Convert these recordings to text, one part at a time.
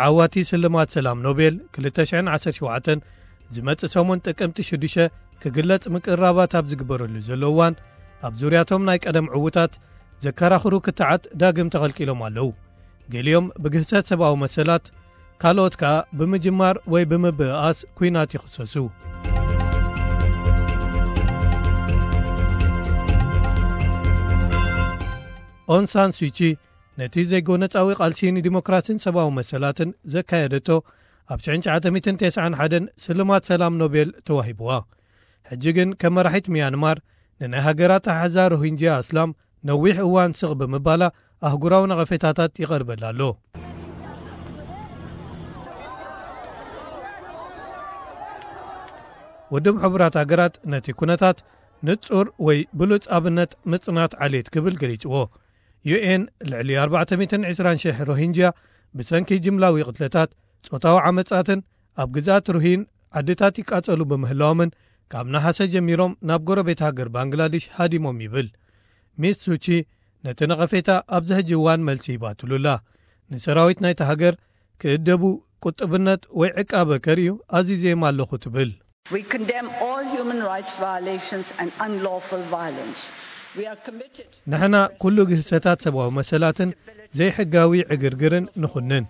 ዓዋቲ ስልማት ሰላም ኖቤል ክልተ ሽሕን ዓሰርተ ሸውዓተን ዝመጽእ ሰሙን ጥቅምቲ ሽዱሽተ ክግለጽ ምቅርራባት ኣብ ዝግበረሉ ዘሎ እዋን፣ ኣብ ዙርያቶም ናይ ቀደም ዕዉታት ዘከራኽሩ ክትዓት ዳግም ተኸልቂሎም ኣለዉ። ገሊኦም ብግህሰት ሰብኣዊ መሰላት፣ ካልኦት ከኣ ብምጅማር ወይ ብምብእኣስ ኲናት ይኽሰሱ። ኦን ሳን ሱቺ ነቲ ዘይጎነጻዊ ቃልሲ ንዲሞክራሲን ሰብኣዊ መሰላትን ዘካየደቶ ኣብ ሽሕን ትሽዓተ ሚእትን ተስዓን ሓደን ስልማት ሰላም ኖቤል ተዋሂብዋ። ሕጂ ግን ከም መራሒት ሚያንማር ንናይ ሃገራ ኣተሓሕዛ ሮሂንጅያ ኣስላም ነዊሕ እዋን ስቕ ብምባላ ኣህጉራዊ ነቐፌታታት ይቐርበላ ኣሎ። ውድብ ሕቡራት ሃገራት ነቲ ኩነታት ንጹር ወይ ብሉጽ ኣብነት ምጽናት ዓሌት ክብል ገሊጽዎ። ዩ ኤን ልዕሊ ኣርባዕተ ሚእትን ዕስራን ሽሕ ሮሂንጅያ ብሰንኪ ጅምላዊ ቅትለታት፣ ጾታዊ ዓመጻትን ኣብ ግዝኣት ሩሂን ዓድታት ይቃጸሉ ብምህላዎምን ካብ ነሓሰ ጀሚሮም ናብ ጎረቤት ሃገር ባንግላዴሽ ሃዲሞም ይብል። ሚስ ሱቺ ነቲ ነቐፌታ ኣብዚ ሕጂ እዋን መልሲ ሂባትሉላ። ንሰራዊት ናይቲ ሃገር ክእደቡ፣ ቁጥብነት ወይ ዕቃበ ከርእዩ ኣዚዘዮም ኣለኹ ትብል። We condemn all human rights violations and unlawful violence. We are committed ንሕና ኩሉ ግህሰታት ሰብኣዊ መሰላትን ዘይሕጋዊ ዕግርግርን ንኹንን።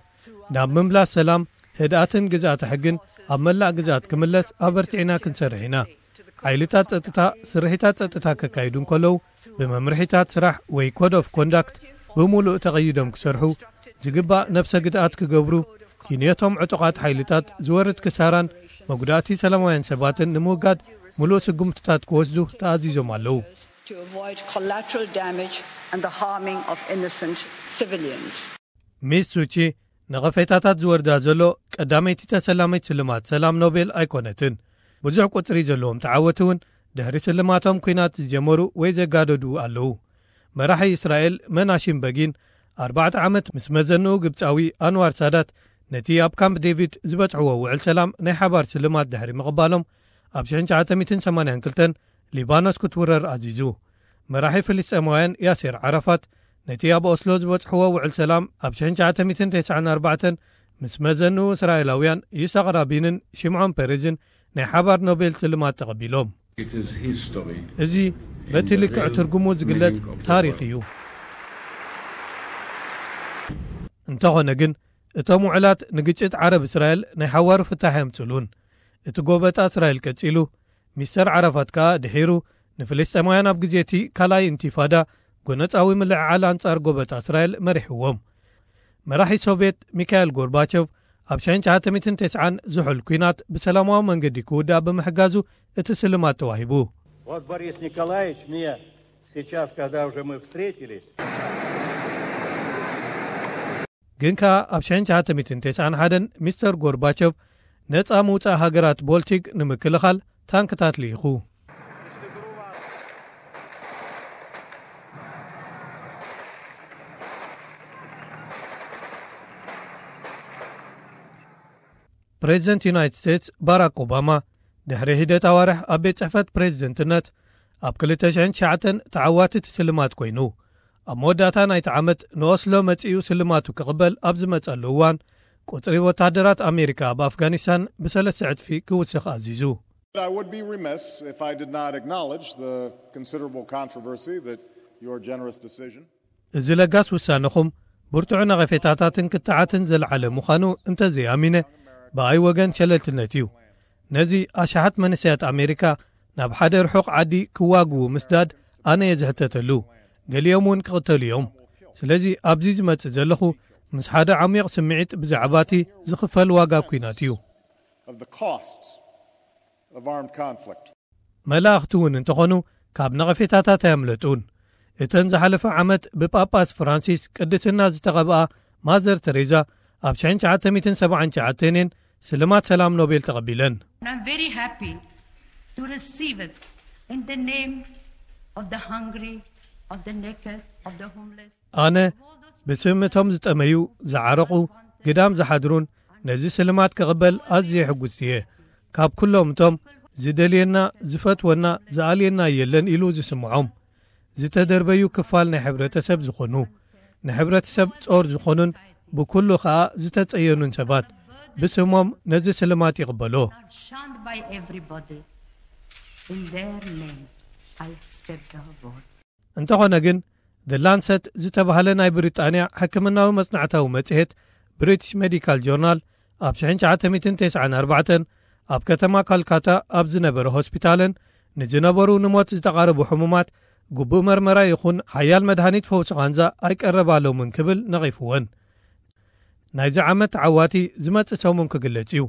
ናብ ምምላስ ሰላም፣ ህድኣትን ግዝኣተ ሕግን ኣብ መላእ ግዝኣት ክምለስ ኣበርቲዕና ክንሰርሕ ኢና። ሓይልታት ጸጥታ ስርሒታት ጸጥታ ከካይዱ እንከለዉ፣ ብመምርሒታት ስራሕ ወይ ኮድ ኦፍ ኮንዳክት ብምሉእ ተቐይዶም ክሰርሑ፣ ዝግባእ ነብሰ ግድኣት ክገብሩ፣ ክንዮቶም ዕጡቓት ሓይልታት ዝወርድ ክሳራን መጉዳእቲ ሰላማውያን ሰባትን ንምውጋድ ምሉእ ስጉምትታት ክወስዱ ተኣዚዞም ኣለዉ። To avoid collateral damage and the harming of innocent civilians. ሚስ ሱቺ ነቐፌታታት ዝወርዳ ዘሎ ቀዳመይቲ ተሰላሚት ስልማት ሰላም ኖቤል ኣይኮነትን። ብዙሕ ቁጽሪ ዘለዎም ተዓወቲ እውን ድሕሪ ስልማቶም ኲናት ዝጀመሩ ወይ ዘጋደዱ ኣለዉ። መራሒ እስራኤል መናሺም በጊን ኣርባዕተ ዓመት ምስ መዘንኡ ግብጻዊ ኣንዋር ሳዳት ነቲ ኣብ ካምፕ ዴቪድ ዝበጽሕዎ ውዕል ሰላም ናይ ሓባር ስልማት ድሕሪ ምቕባሎም ኣብ ሽሕን ትሽዓተ ሚእትን ሰማንያን ክልተን ሊባኖስ ክትውረር ኣዚዙ። መራሒ ፍልስጤማውያን ያሴር ዓራፋት ነቲ ኣብ ኦስሎ ዝበጽሕዎ ውዕል ሰላም ኣብ ሽሕን ትሽዓተ ሚእትን ተስዓን ኣርባዕተን ምስ መዘንኡ እስራኤላውያን ይስሐቅ ራቢንን ሽምዖን ፔሬዝን ናይ ሓባር ኖቤል ስልማት ተቐቢሎም። It is history እዚ በቲ in the ልክዕ real ትርጉሙ ዝግለጽ meaning of the ታሪኽ word። እዩ። እንተኾነ ግን፣ እቶም ውዕላት ንግጭት ዓረብ እስራኤል ናይ ሓዋሩ ፍታሕ የምጽሉን። እቲ ጎበጣ እስራኤል ቀጺሉ፣ ሚስተር ዓራፋት ከኣ ድሒሩ ንፍልስጤማውያን ኣብ ግዜ እቲ ካልኣይ ኢንቲፋዳ ጎነጻዊ ምልዕዓል ኣንጻር ጎበጣ እስራኤል መሪሕዎም። መራሒ ሶቭየት ሚካኤል ጎርባቸቭ ኣብ ሽሕን ትሽዓተ ሚእትን ተስዓን ዝሑል ኲናት ብሰላማዊ መንገዲ ክውዳእ ብምሕጋዙ እቲ ስልማት ተዋሂቡ። Вот Борис Николаевич мне сейчас, когда уже мы встретились, ግን ከኣ ኣብ ሽሕን ትሽዓተ ሚእትን ተስዓን ሓደን ሚስተር ጎርባቸቭ ነጻ ምውጻእ ሃገራት ቦልቲክ ንምክልኻል ታንክታት ልኢኹ። ፕሬዚደንት ዩናይትድ ስቴትስ ባራክ ኦባማ ድሕሪ ሒደት ኣዋርሕ ኣብ ቤት ጽሕፈት ፕሬዚደንትነት ኣብ ክልተ ሽሕን ትሽዓተን ተዓዋቲ እቲ ስልማት ኮይኑ፣ ኣብ መወዳእታ ናይቲ ዓመት ንኦስሎ መጺኡ ስልማቱ ክቕበል ኣብ ዝመጸሉ እዋን፣ ቁጽሪ ወተሃደራት ኣሜሪካ ኣብ ኣፍጋኒስታን ብሰለስተ ዕጽፊ ክውስኽ ኣዚዙ። I would be remiss if I did not acknowledge the considerable controversy that your generous decision እዚ ለጋስ ውሳነኹም ብርቱዕ ነቐፌታታትን ክትዓትን ዘልዓለ ምዃኑ እንተዘይኣሚነ፣ ብኣይ ወገን ሸለልትነት እዩ። ነዚ ኣሽሓት መንእሰያት ኣሜሪካ ናብ ሓደ ርሑቕ ዓዲ ክዋግኡ ምስዳድ ኣነ እየ ዝሕተተሉ። ገሊኦም እውን ክቕተሉ እዮም። ስለዚ ኣብዚ ዝመጽእ ዘለኹ ምስ ሓደ ዓሚቕ ስምዒት ብዛዕባ እቲ ዝኽፈል ዋጋ ኲናት እዩ። Of the costs of armed conflict. መላእኽቲ እውን እንተኾኑ ካብ ነቐፌታታት ኣየምለጡን። እተን ዝሓለፈ ዓመት ብጳጳስ ፍራንሲስ ቅድስና ዝተቐብኣ ማዘር ተሬዛ ኣብ ሽሕን ትሽዓተ ሚእትን ሰብዓን ትሽዓተን እየን ስልማት ሰላም ኖቤል ተቐቢለን። And I'm very happy to receive it in the name of the hungry, of the naked, of the homeless. ኣነ ብስም እቶም ዝጠመዩ፣ ዝዓረቑ፣ ግዳም ዝሓድሩን ነዚ ስልማት ክቕበል ኣዝየ ሕጉስቲ እየ። ካብ ኩሎም እቶም ዝደልየና፣ ዝፈትወና፣ ዝኣልየና የለን ኢሉ ዝስምዖም፣ ዝተደርበዩ ክፋል ናይ ሕብረተሰብ ዝኾኑ፣ ንሕብረተሰብ ጾር ዝኾኑን ብኩሉ ኸኣ ዝተጸየኑን ሰባት ብስሞም ነዚ ስልማት ይቕበሎ። Shunned by everybody. In their name, I accept the award. እንተኾነ ግን፣ The Lancet ዝተባህለ ናይ ብሪጣንያ ሕክምናዊ መጽናዕታዊ መጽሔት፣ ብሪቲሽ ሜዲካል ጆርናል፣ ኣብ ሽሕን ትሽዓተ ሚእትን ተስዓን ኣርባዕተን ኣብ ከተማ ካልካታ ኣብ ዝነበረ ሆስፒታልን ንዝነበሩ ንሞት ዝተቓረቡ ሕሙማት ግቡእ መርመራ ይኹን ሓያል መድሃኒት ፈውሲ ቃንዛ ኣይቀረባሎምን ክብል ነቒፍወን። ናይዚ ዓመት ተዓዋቲ ዝመጽእ ሰሙን ክግለጽ እዩ።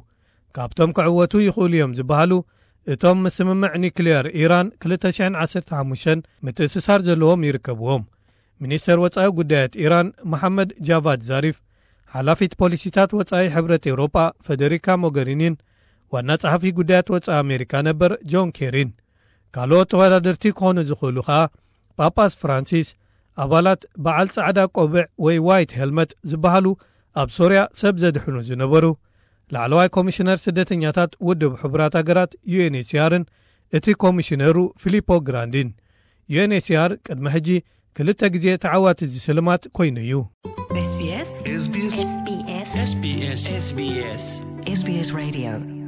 ካብቶም ክዕወቱ ይኽእሉ እዮም ዝበሃሉ፣ እቶም ምስ ስምምዕ ኒክልየር ኢራን ክልተ ሽሕን ዓሰርተ ሓሙሽተን ምትእስሳር ዘለዎም ይርከብዎም። ሚኒስተር ወጻኢ ጉዳያት ኢራን መሓመድ ጃቫድ ዛሪፍ፣ ሓላፊት ፖሊሲታት ወጻኢ ሕብረት ኤውሮጳ ፈደሪካ ሞገሪኒን ዋና ጸሓፊ ጉዳያት ወጻኢ ኣሜሪካ ነበር ጆን ኬሪን። ካልኦት ተወዳደርቲ ክኾኑ ዝኽእሉ ኸኣ ጳጳስ ፍራንሲስ፣ ኣባላት በዓል ጻዕዳ ቆብዕ ወይ ዋይት ሄልመት ዝበሃሉ ኣብ ሶርያ ሰብ ዘድሕኑ ዝነበሩ ላዕለዋይ ኮሚሽነር ስደተኛታት ውድብ ሕቡራት ሃገራት ዩኤንኤችሲኣርን እቲ ኮሚሽነሩ ፊሊፖ ግራንዲን። ዩኤንኤችሲኣር ቅድሚ ሕጂ ክልተ ግዜ ተዓዋቲ እዚ ስልማት ኮይኑ እዩ። SBS SBS SBS SBS SBS Radio